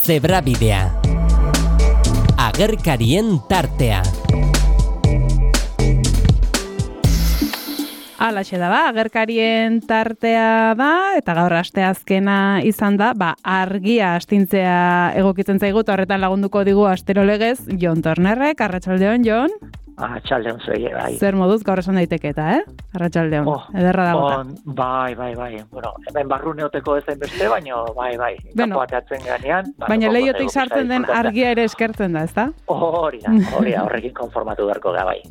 Zebrabidea. Agerkarien tartea. Alaxe da ba, agerkarien tartea da, eta gaur asteazkena izan da, argia astintzea egokitzen zaigu, eta horretan lagunduko digu astero legez, Jon Tornerrek. Arratsaldeon, Jon. Arratsaldeon zuei, bai. Zer moduz gaur esan daiteke eta, Arratsaldeon. Ederra da bota. Bai. Bueno, hemen barruneoteko ez beste, baina bai. Bueno, kanpoateatzen ganean. Baina leiotik sartzen den argia ere eskertzen da, ezta? Hori da, horrekin konformatu beharko da, bai.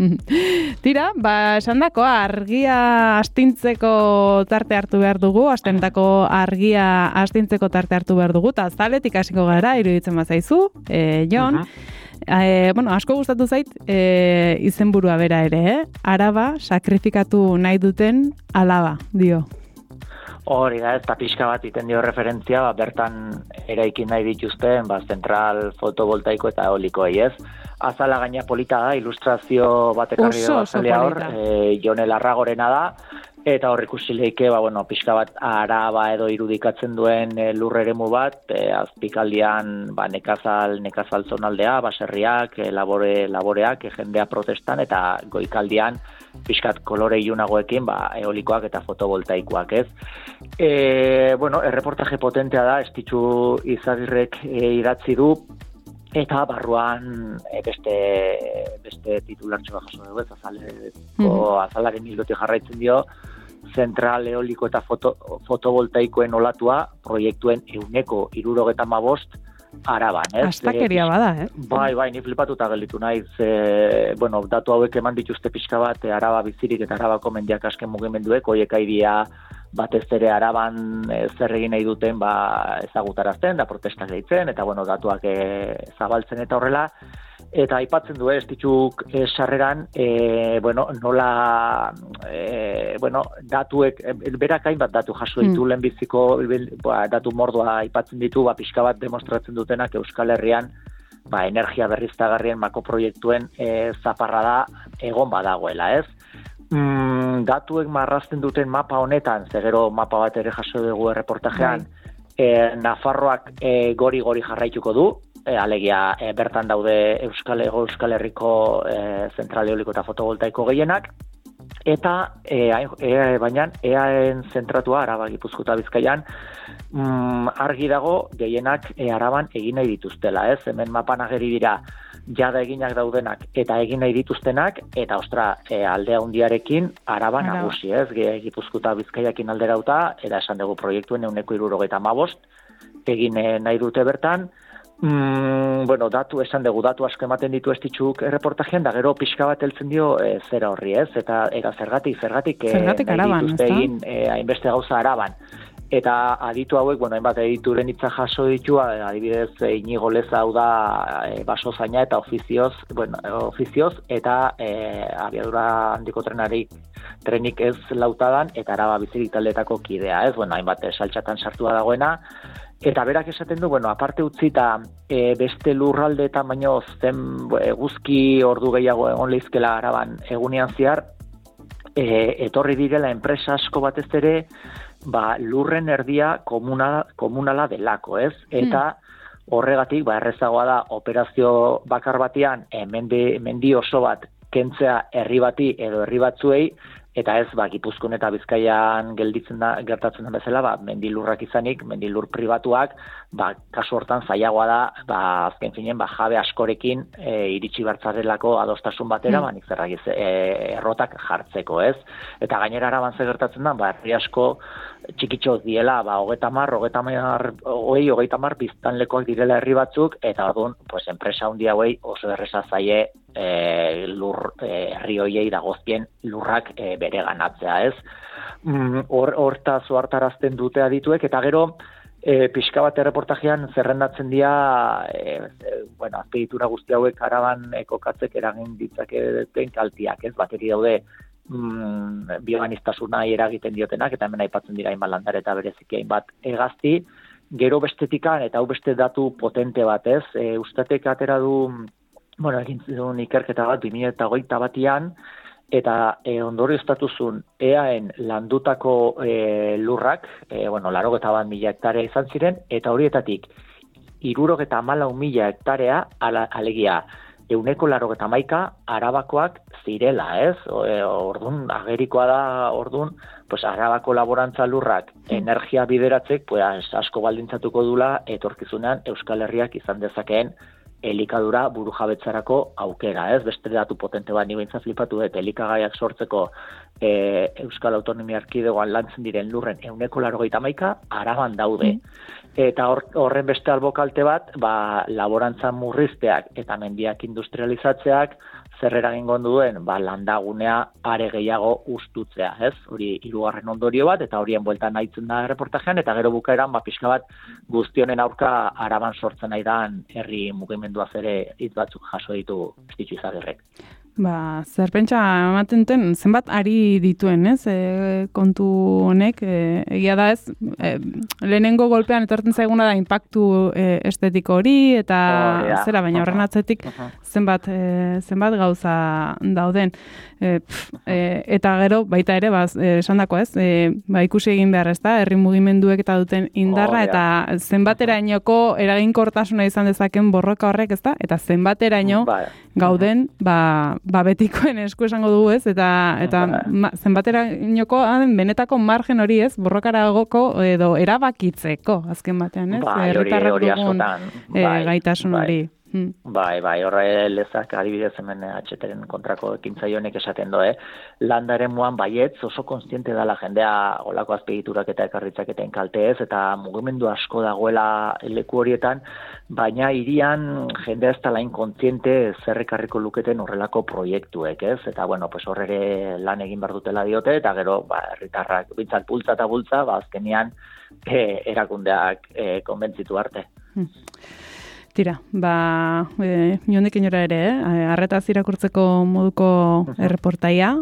Tira, esandako argia astintzeko tarte hartu behar dugu, astentako argia astintzeko tarte hartu behar dugu, eta zaletik hasiko gara, iruditzen bazaizu, Jon. Asko gustatu zait izenburua bera ere, Araba sakrifikatu nahi duten alaba, dio. Hori da, eta pixka bat iten dio referentzia, bertan eraikin nahi dituzten, zentral fotovoltaiko eta eolikoei, ez? Azala gaina polita da, ilustrazio bat ekarri da bazalea hor, Jon Larragorena da, eta hor ikusi leike, pixka bat Araba edo irudikatzen duen lur eremu bat, azpikaldian nekazal zonaldea, baserriak, laboreak, jendea protestan, eta goikaldian pixkat kolore ilunagoekin, eolikoak eta fotovoltaikoak, ez? Erreportaje potentea da, Estitxu Izagirrek idatzi du, eta barruan beste titulartxo bat jaso dugu, azalaren hilotik jarraitzen dio, zentral eoliko eta fotovoltaikoen olatua proiektuen 175 Araban, ez? Astakeria bada, Bai, ni flipatuta gelditu naiz, datu hauek eman dituzte pixka bat, Araba bizirik eta Arabako mendiak asken mugimenduek, horiek aidia batez ere Araban zer egin nahi duten ezagutarazten, da protestak deitzen, eta datuak zabaltzen eta horrela, eta aipatzen du Estitxuk sarreran, nola, datuek, berak hainbat datu jaso ditu lehenbiziko, datu mordoa aipatzen ditu, pixka bat demostratzen dutenak Euskal Herrian, energia berriztagarrien makoproiektuen zaparra da egon badagoela, ez? Datuek marrazten duten mapa honetan, zegero mapa bat ere jaso dugu erreportajean, Nafarroak gori jarraituko du, alegia bertan daude Euskal Herriko zentral eoliko eta fotovoltaiko gehienak, eta baina eaen zentratua Araba, Gipuzkoa eta Bizkaian argi dago gehienak Araban egin nahi dituztela, ez? Hemen mapan ageri dira jada eginak daudenak eta egin nahi dituztenak, eta aldea hundiarekin Araba nagusi, ez? Gipuzkoa eta Bizkaiakin alderauta, eta esan dugu proiektuen 175 egin nahi dute bertan. Datu asko ematen ditu Estitxuk erreportajean, da gero pixka bat heltzen dio zera horri, ez? Eta zergatik Araban, dituzte egin hainbeste gauza Araban. Eta aditu hauek, hainbat edituren hitza jaso ditu, adibidez Inigo Leza hau da basozaina eta ofizioz, eta abiadura handiko trenik ez lautadan, eta Araba bizirik taldeetako kidea, ez? Hainbat saltxatan sartua dagoena, eta berak esaten du, aparte utzita beste lurralde eta baino zen eguzki ordu gehiago egon leizkela Araban egunean zehar, etorri direla enpresa asko batez ere, lurren erdia komunala delako, ez? Eta horregatik, errezagoa da operazio bakar batean mendi oso bat kentzea herri bati edo herri batzuei, eta ez, Gipuzkoan eta Bizkaian gertatzen den bezala, mendilurrak izanik, mendilur pribatuak, kasu hortan zailagoa da, azken finen, jabe askorekin iritsi bertzarelako adostasun batera, nik zerragiz, errotak jartzeko, ez? Eta gainera Araban ze gertatzen da, herri asko txikitxoz diela, 30 biztanlekoak direla herri batzuk, eta orduan, enpresa handi hauei oso erresa zaie herri hoiei dagozkien lurrak bere ganatzea, ez? Hortaz ohartarazten dute adituek, eta gero pixka bat erreportajean zerrendatzen dira azpiegitura guzti hauek Araban kokatzek eragin ditzaketen kaltiak, ez? Bateri daude bioaniztasuna eragiten diotenak, eta hemen aipatzen dira hainbat landare eta bereziki hainbat hegazti. Gero bestetikan, eta hau beste datu potente bat, ez? Ustatek atera du, egin zuen ikerketa bat 2021an, eta ondorioztatuzun eaen landutako lurrak, 81.000 hektarea izan ziren, eta horietatik 64.000 hektarea, alegia, 191 Arabakoak zirela, ez? Ordun agerikoa da, pues Arabako laborantza lurrak energia bideratzek, pues asko baldintzatuko dula etorkizunean Euskal Herriak izan dezakeen elikadura burujabetzarako aukera, ez? Beste datu potente bat, ni behintzat flipatu dut, elikagaiak sortzeko Euskal Autonomia Erkidegoan lantzen diren lurren 191 Araban daude. Eta horren beste albokalte bat, laborantza murrizteak eta mendiak industrializatzeak zer eragingo duen, landagunea are gehiago ustutzea, ez? Hori hirugarren ondorio bat, eta horien bueltan nahitzen da reportajean, eta gero bukaeran, pixka bat guztionen aurka Araban sortzen nahi dan herri mugimenduaz ere hitz batzuk jaso ditu Estitxu Izagirrek. Zer pentsa ematen den, zenbat ari dituen, ez? Kontu honek, egia da ez, lehenengo golpean etortzen zaiguna da inpaktu estetiko hori, eta zera, baina horren atzetik zenbat gauza dauden. Eta gero, baita ere, esandako ez, ikusi egin behar ez da, herri mugimenduek eta duten indarra, eta zenbaterainoko eraginkortasuna izan dezaken borroka horrek, ez da? Eta zenbateraino gauden, betikoen esku esango dugu ez, eta zenbaterainoko benetako margen hori ez, borrokaragoko edo erabakitzeko, azken batean ez, herritarrak dugun gaitasun hori. Bai, horre lezak adibidez hemen HTren kontrako ekintzaionek esaten doe, landaren muan baietz oso konstiente dela jendea olako azpegiturak eta ekarritzaketen kalteez, eta mugimendu asko dagoela leku horietan, baina hirian jendea ez talain kontziente zerrekarriko luketen horrelako proiektuek, ez? Eta, pues horre lan egin behar dutela diote, eta gero, herritarrak bintzat bultza eta bultza, azkenian erakundeak konbentzitu arte. Tira, niondik inora ere, arretaz irakurtzeko moduko erreportaia,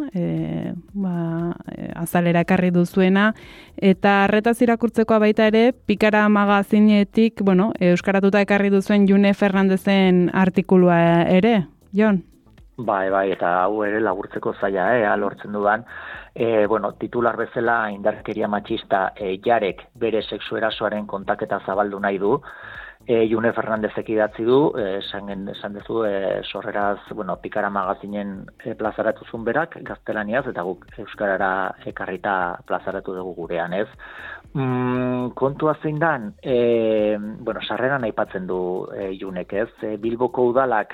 azalera ekarri duzuena, eta arretaz irakurtzekoa baita ere, Pikara magazinetik, euskaratuta ekarri duzuen June Fernandezen artikulua ere, Jon? Bai, eta hau ere laburtzeko zaila, lortzen dudan, titular bezala indarkeria matxista jarek bere sexu erasoaren kontaketa zabaldu nahi du, June Fernandezek idatzi du, esan duzu, sorreraz, Pikara magazinen plazaratuzun berak, gaztelaniaz, eta guk euskarara ekarrita plazaratu dugu gurean, ez? Kontua zein dan, sarreran aipatzen du Junek, ez? Bilboko udalak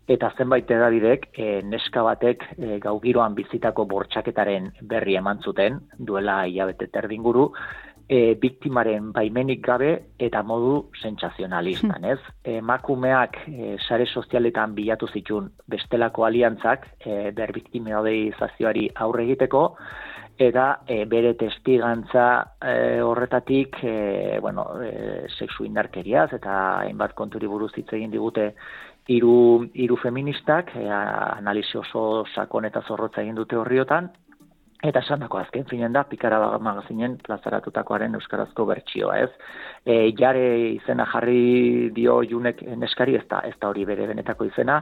eta zenbait edabidek neska batek gaugiroan bizitako bortxaketaren berri eman zuten, duela hilabete terdinguru, biktimaren baimenik gabe eta modu sentsazionalistan, ez? Emakumeak sare sozialetan bilatu zituen bestelako aliantzak berbiktimizazioari aurre egiteko, eta bere testigantza horretatik, sexu indarkeriaz eta hainbat konturi buruz hitz egin digute hiru feministak, analisi oso sakon eta zorrotza egin dute horriotan, eta esandako azken finen da, Pikara magazinen plazaratutakoaren euskarazko bertsioa, ez? Jare izena jarri dio Junek neskari, ez da hori bere benetako izena,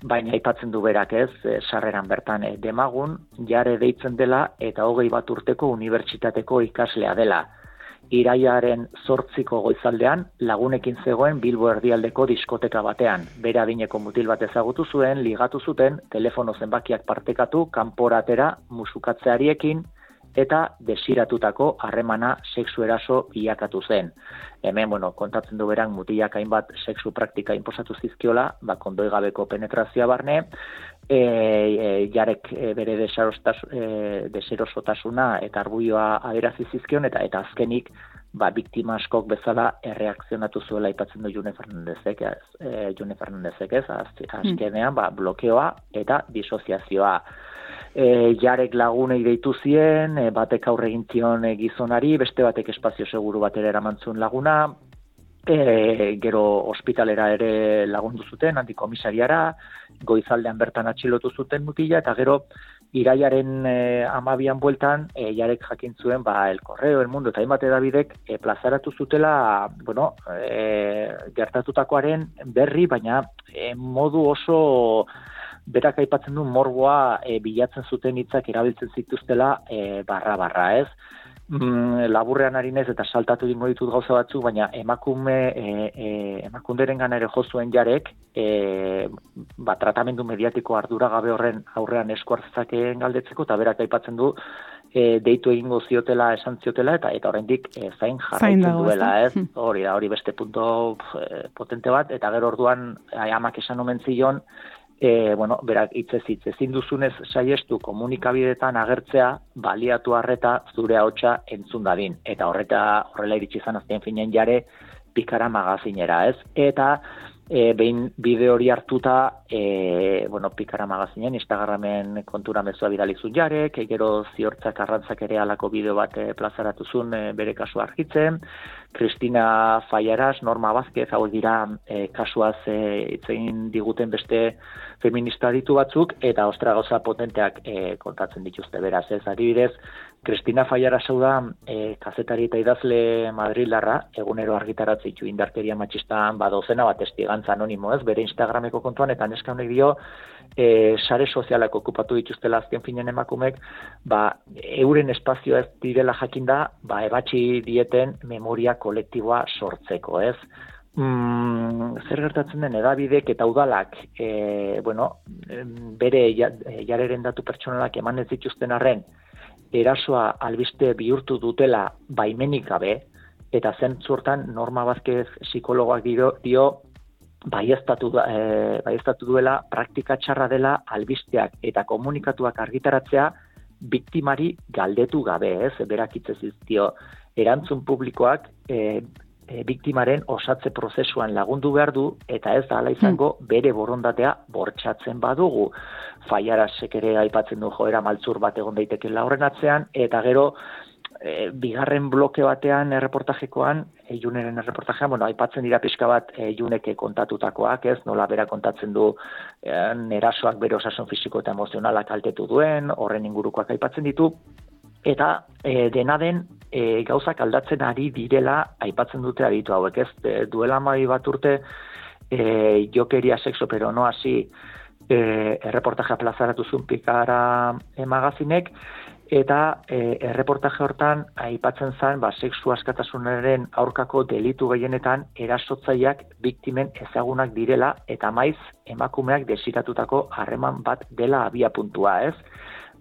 baina aipatzen du berak, ez? Sarreran bertan demagun, Jare deitzen dela eta 21 urteko unibertsitateko ikaslea dela. Irailaren 8ko goizaldean lagunekin zegoen Bilbo erdialdeko diskoteka batean. Bere adineko mutil bat ezagutu zuen, ligatu zuten, telefono zenbakiak partekatu, kanporatera musukatzeariekin eta desiratutako harremana sexu eraso bilakatu zen. Hemen, kontatzen du beran mutilak hainbat sexu praktika inposatu zizkiola, kondoi gabeko penetrazioa barne, Jarek bere deserosotasuna eta arbuioa aderazi zizkion, eta azkenik biktima askok bezala erreakzionatu zuela aipatzen du June Fernandezek, ez? Azkenean blokeoa eta disoziazioa. Jarek lagunei deitu zien, batek aurre egin zion gizonari, beste batek espazio seguru batera eramantzun laguna, gero ospitalera ere lagundu zuten, antikomisariara, goizaldean bertan atxilotu zuten mutila, eta gero irailaren 12an bueltan, Jarek jakin zuen, El Correo, El Mundo, eta hainbat edabidek plazaratu zutela, gertatutakoaren berri, baina modu oso berak aipatzen du morboa bilatzen zuten hitzak erabiltzen zituztela barra, ez? laburrean ari naiz eta saltatu dingo ditut gauza batzuk, baina emakunderen gana ere jozuen jarek, tratamendu mediatiko arduragabe horren aurrean esku hartzakeen galdetzeko, eta berak aipatzen du, deitu egingo ziotela, esan ziotela, eta oraindik zain jarraitzen duela, ez? Hori beste punto potente bat, eta gero orduan amak esan omen zion, berak hitzez ezin duzunez saiestu komunikabideetan agertzea, baliatu harreta zure ahotsa entzun dadin. Eta horrela iritsi izan azken finean jare Pikara magazinera, ez? Eta behin bideo hori hartuta, Pikara magazinen Instagramen kontura mezua bidalizun jarek, gero Ziortzak Arrantzak ere alako bideo bat plazaratu zuen bere kasua argitzen, Cristina Fallaras, Norma Vázquez, hauek dira kasuaz hitzein diguten beste feminista ditu batzuk, eta ostra gauza potenteak kontatzen dituzte beraz, ez adibidez, Cristina Fallaras hau da kazetari eta idazle madrildarra, egunero argitaratzen ditu indarkeria matxistan dozena bat testigantza anonimo, ez, bere Instagrameko kontuan, eta neska honek dio, sare sozialak okupatu dituztela azken finen emakumek, euren espazioa ez direla jakinda, ebatxi dieten memoria kolektiboa sortzeko, ez? Zer gertatzen den edabidek eta udalak, bere jareren datu pertsonalak eman ez dituzten arren, erasoa albiste bihurtu dutela baimenik gabe, eta zentzu hortan Norma Vázquez psikologoak dio baieztatu duela praktika txarra dela albisteak eta komunikatuak argitaratzea biktimari galdetu gabe, ez? Berak hitzez dio erantzun publikoak biktimaren osatze prozesuan lagundu behar du, eta ez da hala izango bere borondatea bortxatzen badugu. Fallarasek ere aipatzen du joera maltzur bat egon daitekeela horren atzean, eta gero bigarren bloke batean erreportajekoan, Juneren erreportajean, aipatzen dira pixka bat Juneke kontatutakoak, ez, nola bera kontatzen du erasoak bere osasun fisiko eta emozionalak kaltetu duen, horren ingurukoak aipatzen ditu, eta dena den gauzak aldatzen ari direla aipatzen dute aditu hauek, ez, duela 12 bat urte jokeria sexo pero no así erreportajea plazaratu zuen Pikara magazinek, eta erreportaje hortan aipatzen zen sexu askatasunaren aurkako delitu gehienetan erasotzaileak biktimen ezagunak direla, eta maiz emakumeak desiratutako harreman bat dela abiapuntua, ez?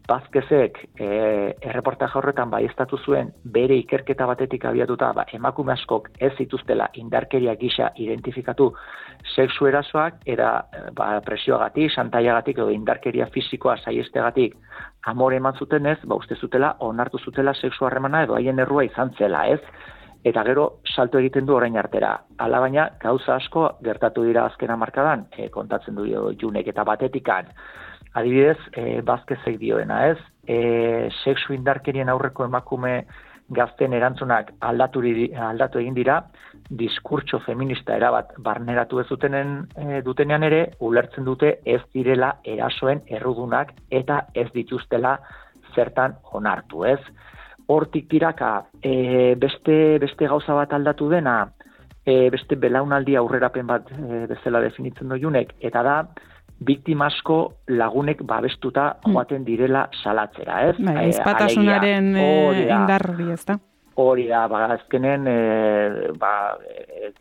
Vázquezek erreportaje horretan baieztatu zuen bere ikerketa batetik abiatuta emakume askok ez zituztela indarkeria gisa identifikatu sexu erasoak, eta presioagatik, xantaiagatik edo indarkeria fisikoa saiestegatik amore eman zuten ez, uste zutela, onartu zutela sexu harremana edo haien errua izan zela, ez? Eta gero salto egiten du orain artera. Hala baina, gauza asko gertatu dira azken hamarkadan, kontatzen du Junek, eta batetikan. Adibidez, Vázquezek dioena, ez? Sexu indarkerien aurreko emakume gazten erantzunak aldatu egin dira, diskurtso feminista erabat barneratu ez dutenean ere, ulertzen dute ez direla erasoen errudunak eta ez dituztela zertan onartu, ez? Hortik tiraka, beste gauza bat aldatu dena, beste belaunaldi aurrerapen bat bezala definitzen Junek, eta da, biktima asko lagunek babestuta joaten direla salatzera, ez? Ezpatasunaren indar hori, ez da? Hori da, azkenen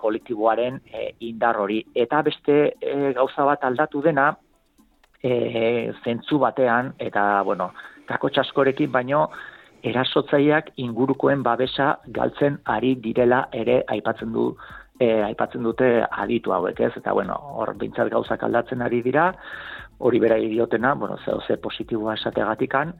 kolektiboaren indar hori. Eta beste gauza bat aldatu dena, zentzu batean, eta, kakotx askorekin, baino, erasotzaileak ingurukoen babesa galtzen ari direla ere aipatzen dute aditu hauek, ez? Eta, hor bintzat gauzak aldatzen ari dira, hori bera idiotena, ze positiboa esategatikan,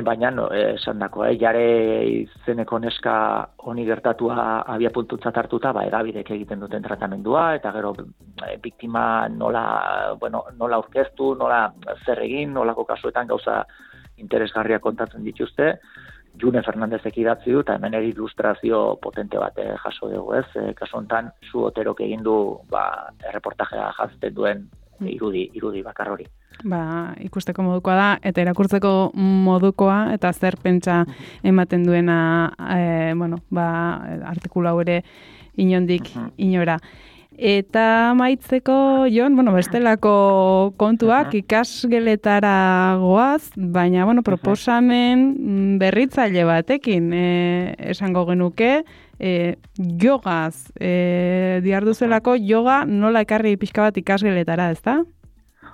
baina esan dako, jare izeneko neska honi gertatua abiapuntutzat hartuta, edabidek egiten duten tratamendua, eta gero biktima nola aurkeztu, nola zer egin, nolako kasuetan gauza interesgarria kontatzen dituzte. June Fernandezek idatzi du, eta hemen ilustrazio potente bat jaso dugu, ez? Kasu honetan, Su Oterok egin du erreportajea jazten duen irudi bakar hori. Ikusteko modukoa da, eta irakurtzeko modukoa, eta zer pentsa ematen duena, artikulu hau ere inondik inora. Eta amaitzeko, Jon, bestelako kontuak ikasgeletara goaz, baina, proposamen berritzaile batekin esango genuke, jogaz, diarduzelako yoga nola ekarri pixka bat ikasgeletara, ezta?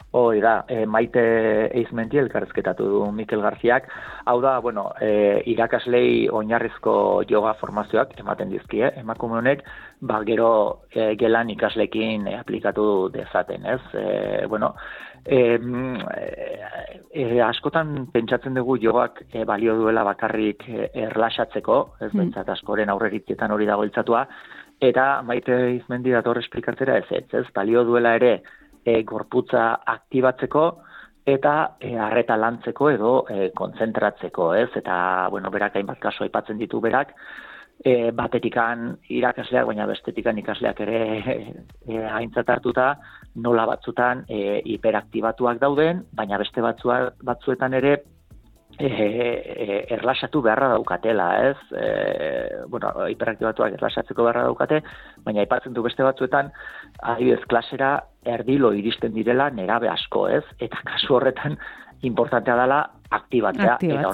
Hori da, Maite Eizmendi elkarrizketatu du Mikel Garziak. Hau da, irakaslei oinarrizko yoga formazioak ematen dizkie, emakume honek, gero gelan ikaslekin aplikatu dezaten, ez? Askotan pentsatzen dugu jogak balio duela bakarrik erlaxatzeko, ez bentsat askoren aurreritzietan hori dago iltzatua, eta Maite Eizmendi dator esplikatzera ez, balio duela ere gorputza aktibatzeko eta arreta lantzeko edo kontzentratzeko, ez? Eta, berak hainbat kasu aipatzen ditu berak, batetikan irakasleak, baina bestetikan ikasleak ere aintzat hartuta, nola batzutan hiperaktibatuak dauden, baina beste batzuetan ere erlaxatu beharra daukatela, ez? Hiperaktibatuak erlaxatzeko beharra daukate, baina aipatzen du beste batzuetan, adibidez klasera erdilo iristen direla nerabe asko, ez? Eta kasu horretan importantea dela aktibatzea, eta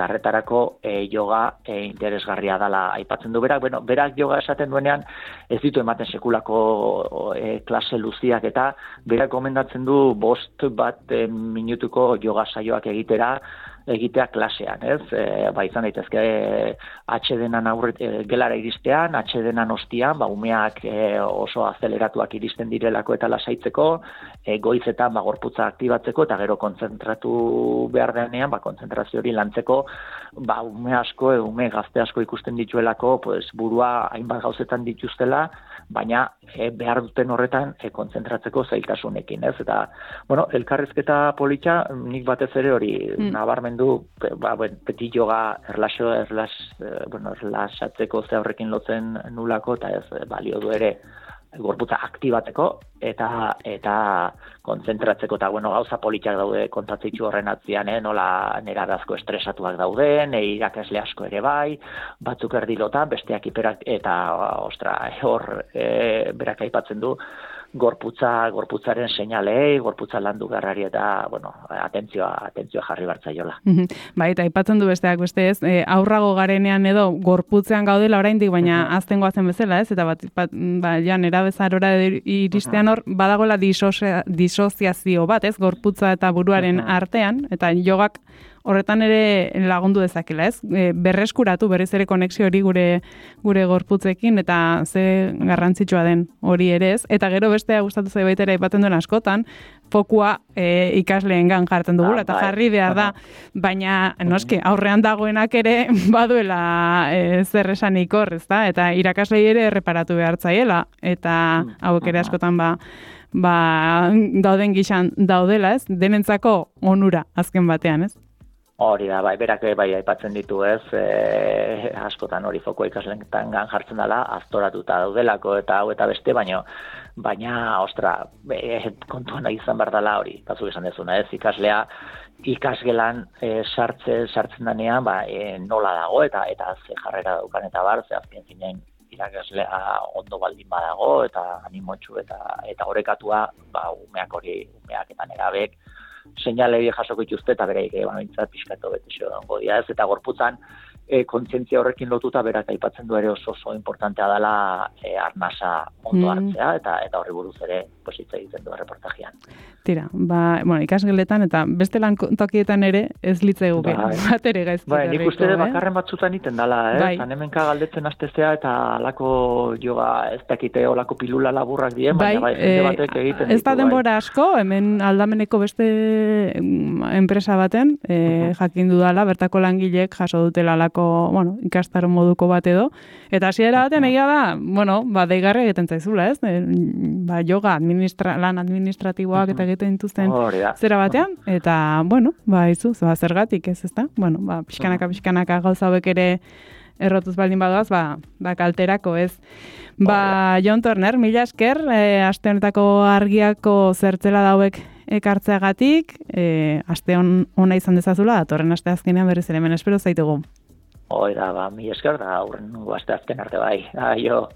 horretarako yoga interesgarria dela aipatzen du berak. Berak yoga esaten duenean ez ditu ematen sekulako klase luziak, eta berak gomendatzen du 5 minutuko yoga saioak egitea klasean, ez? Izan daitezke atsedenan gelara iristean, atsedenan ostian, umeak oso azeleratuak iristen direlako eta lasaitzeko, goizetan gorputza aktibatzeko, eta gero kontzentratu behar denean, kontzentrazio hori lantzeko, ume gazte asko ikusten dituelako, burua hainbat gauzetan dituztela, baina behar duten horretan kontzentratzeko zailtasunekin, ez? Eta, elkarrizketa polita, nik batez ere hori nabarmendu, beti yoga erlaxatzeko ze horrekin lotzen nulako, eta ez balio du ere gorputza aktibatzeko eta kontzentratzeko, eta gauza politak daude kontatzitzu horren atzian, nola nerabe estresatuak dauden, irakasle asko ere bai, batzuk erdilota, besteak hiperak, eta hor berak aipatzen du gorputzaren seinalei, gorputza landu garrari, eta, atentzioa jarri bartzaiola. Eta aipatzen du besteak beste, ez, aurrago garenean edo gorputzean gaudela oraindik, baina azten goazen bezala, ez, eta nerabezarora iristean hor, badagoela disoziazio bat, ez, gorputza eta buruaren artean, eta jogak horretan ere lagundu dezakela, ez? Berreskuratu berriz ere konexio hori gure gorputzekin, eta ze garrantzitsua den hori ere, ez? Eta gero bestea gustatu zait baita ere aipatzen duen askotan, fokua ikasleengan jartzen dugula, eta jarri behar da, baina noski aurrean dagoenak ere baduela zer esanik hor, ezta? Eta irakaslei ere erreparatu behar zaiela, eta hauek ere askotan dauden gixan daudela, ez? Denentzako onura azken batean, ez? Hori da, berak aipatzen ditu, ez, askotan hori foko ikasleetan jartzen dela, aztoratuta daudelako eta hau eta beste, baina, kontuan izan behar dela hori, batzuk esan dezuna, ez, ikaslea ikasgelan sartzen denean, nola dago eta ze jarrera daukan eta ze azken zinen irakaslea ondo baldin badago, eta animotxu eta orekatua, umeak eta nerabek, seinale jasoko dituzte, eta bereik pixkatu betexo dago dira, ez, eta gorputzan kontzientzia horrekin lotuta berak aipatzen du ere oso importantea dela arnasa ondo hartzea, eta horri buruz ere hitz egiten du reportajean. Tira, ikasgeletan eta beste lan tokietan ere ez litzaigu bat ere gaizki. Nik uste bakarren batzutan iten dala, hemenka galdetzen hastezea eta alako yoga ez dakite olako pilula laburrak dien, baina jende batek egiten ditu. Ez da denbora asko, hemen aldameneko beste enpresa baten, jakin dudala, bertako langileek jaso dutela alako, ikastaro moduko bat edo, eta hasiera baten egia da, deigarri egiten zaizula, ez? Yoga lan administratiboak eta egiten dituzten zera batean, eta, zergatik ez, ezta? Pixkanaka gauza hauek ere errotuz baldin badoaz, kalterako, ez? Jon Turner, mila esker, aste honetako argiako zertzela dauek ekartzeagatik, aste ona izan dezazula, datorren aste azkenean berriz ere hemen espero zaitugu. Mila esker, da aurren aste azken arte bai. Aio.